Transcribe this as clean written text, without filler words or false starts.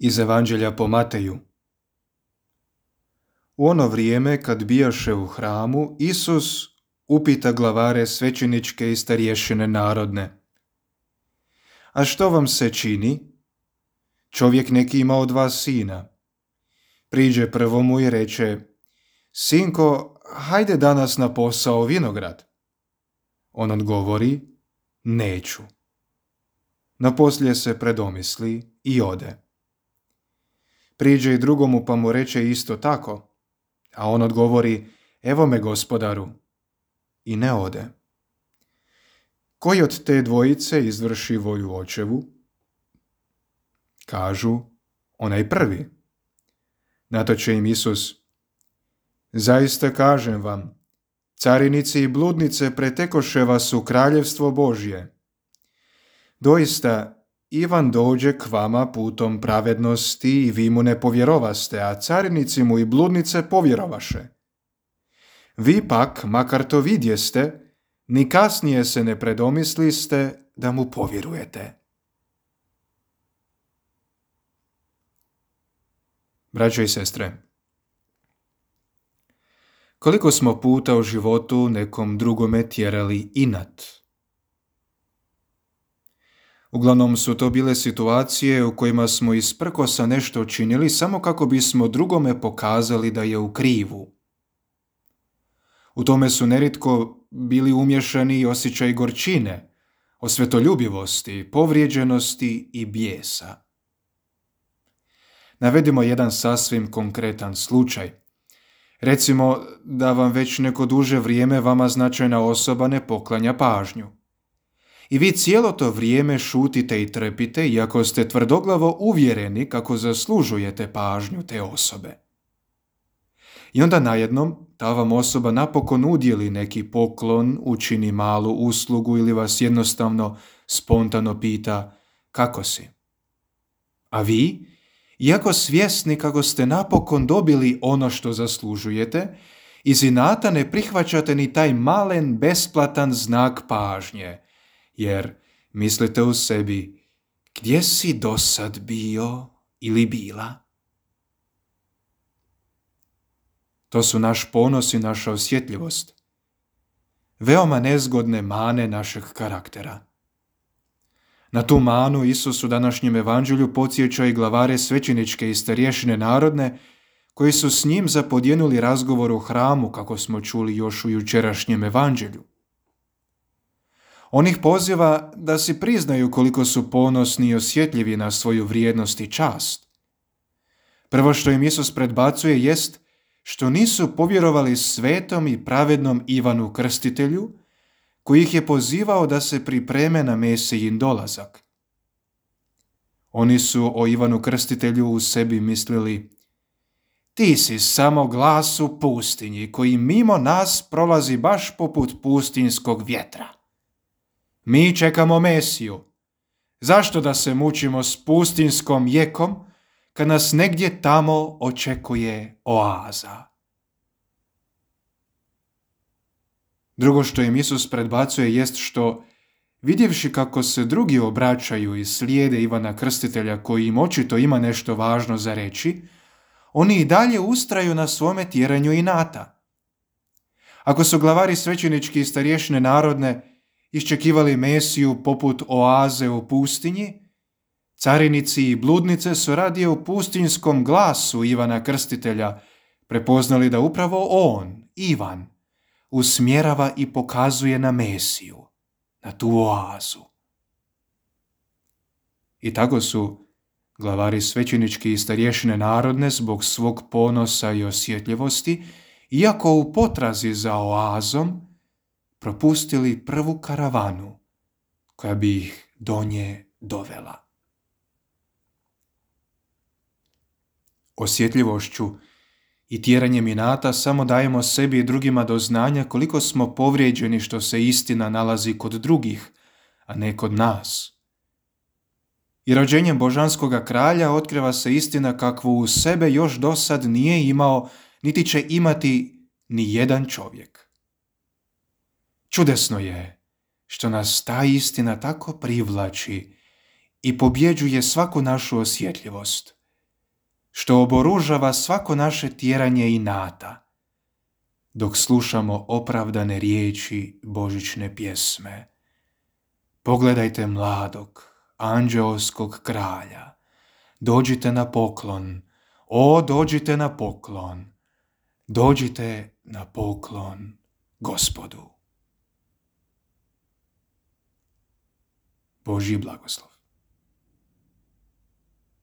Iz Evanđelja po Mateju. U ono vrijeme, kad bijaše u hramu, Isus upita glavare svećeničke i starješine narodne: A što vam se čini? Čovjek neki ima od vas sina. Priđe prvo mu i reče: Sinko, hajde danas na posao u vinograd. On odgovori: Neću. Naposlije se predomisli i ode. Priđe i drugomu pa mu reče isto tako, a on odgovori: Evo me, gospodaru, i ne ode. Koji od te dvojice izvrši volju očevu? Kažu: Onaj prvi. Na to će im Isus: Zaista kažem vam, carinici i bludnice pretekoše vas u kraljevstvo Božje. Doista, Ivan dođe k vama putom pravednosti i vi mu ne povjerovaste, a carinici mu i bludnice povjerovaše. Vi pak, makar to vidjeste, ni kasnije se ne predomisliste da mu povjerujete. Braćo i sestre, koliko smo puta u životu nekom drugome tjerali inat? Uglavnom su to bile situacije u kojima smo isprkosa nešto činili samo kako bismo drugome pokazali da je u krivu. U tome su nerijetko bili umješani i osjećaj gorčine, osvetoljubivosti, povrijeđenosti i bijesa. Navedimo jedan sasvim konkretan slučaj. Recimo da vam već neko duže vrijeme vama značajna osoba ne poklanja pažnju. I vi cijelo to vrijeme šutite i trpite, iako ste tvrdoglavo uvjereni kako zaslužujete pažnju te osobe. I onda najednom ta vam osoba napokon udjeli neki poklon, učini malu uslugu ili vas jednostavno spontano pita: kako si? A vi, iako svjesni kako ste napokon dobili ono što zaslužujete, iz inata ne prihvaćate ni taj malen besplatan znak pažnje, jer mislite u sebi: gdje si dosad bio ili bila? To su naš ponos i naša osjetljivost, veoma nezgodne mane našeg karaktera. Na tu manu Isus u današnjem evanđelju podsjeća i glavare svećeničke i starješine narodne, koji su s njim zapodjenuli razgovor u hramu, kako smo čuli još u jučerašnjem evanđelju. On ih poziva da si priznaju koliko su ponosni i osjetljivi na svoju vrijednost i čast. Prvo što im Isus predbacuje jest što nisu povjerovali svetom i pravednom Ivanu Krstitelju, koji ih je pozivao da se pripreme na Mesijin dolazak. Oni su o Ivanu Krstitelju u sebi mislili: ti si samo glas u pustinji koji mimo nas prolazi baš poput pustinjskog vjetra. Mi čekamo Mesiju. Zašto da se mučimo s pustinjskom jekom kad nas negdje tamo očekuje oaza? Drugo što im Isus predbacuje jest što, vidjevši kako se drugi obraćaju i slijede Ivana Krstitelja koji im očito ima nešto važno za reći, oni i dalje ustraju na svome tjeranju inata. Ako su glavari svećenički i starješine narodne iščekivali Mesiju poput oaze u pustinji, carinici i bludnice su radije u pustinjskom glasu Ivana Krstitelja prepoznali da upravo on, Ivan, usmjerava i pokazuje na Mesiju, na tu oazu. I tako su glavari svećenički i starješine narodne zbog svog ponosa i osjetljivosti, iako u potrazi za oazom, propustili prvu karavanu koja bi ih do nje dovela. Osjetljivošću i tjeranjem inata samo dajemo sebi i drugima do znanja koliko smo povrijeđeni što se istina nalazi kod drugih, a ne kod nas. I rođenjem božanskoga kralja otkriva se istina kakvu u sebe još dosad nije imao, niti će imati ni jedan čovjek. Čudesno je što nas ta istina tako privlači i pobjeđuje svaku našu osjetljivost, što oboružava svako naše tjeranje inata, dok slušamo opravdane riječi božićne pjesme. Pogledajte mladog, anđeoskog kralja. Dođite na poklon, o dođite na poklon. Dođite na poklon Gospodu. Božji blagoslov.